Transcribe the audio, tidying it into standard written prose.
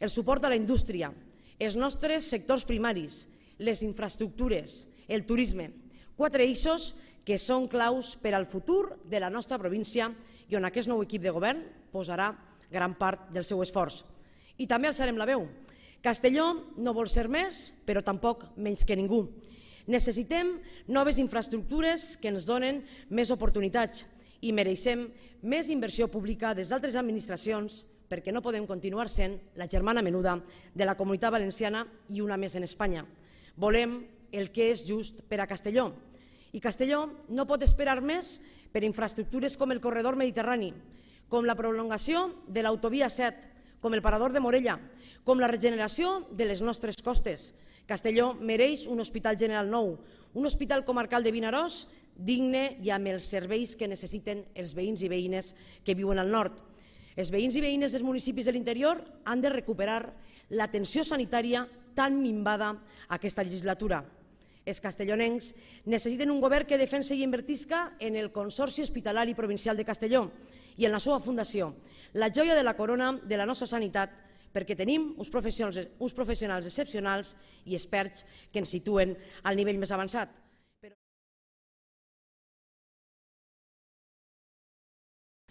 el suport a la indústria, els nostres sectors primaris, les infraestructures, el turisme, 4 eixos que són claus per al futur de la nostra província i on aquest nou equip de govern posarà gran part del seu esforç. I també alçarem la veu. Castelló no vol ser més, però tampoc menys que ningú. Necessitem noves infraestructures que ens donen més oportunitats i mereixem més inversió pública des d'altres administracions perquè no podem continuar sent la germana menuda de la Comunitat Valenciana i una més en Espanya. Volem el que és just per a Castelló. I Castelló no pot esperar més per infraestructures com el corredor mediterrani, com la prolongació de l'autovia 7, com el parador de Morella, com la regeneració de les nostres costes. Castelló mereix un hospital general nou, un hospital comarcal de Vinaròs digne i amb els serveis que necessiten els veïns i veïnes que viuen al nord. Els veïns i veïnes dels municipis de l'interior han de recuperar l'atenció sanitària tan minvada aquesta legislatura. Els castellonencs necessiten un govern que defensi i invertisca en el Consorci Hospitalari Provincial de Castelló i en la seva fundació, la joia de la corona de la nostra sanitat, perquè tenim uns professionals excepcionals i experts que ens situen al nivell més avançat.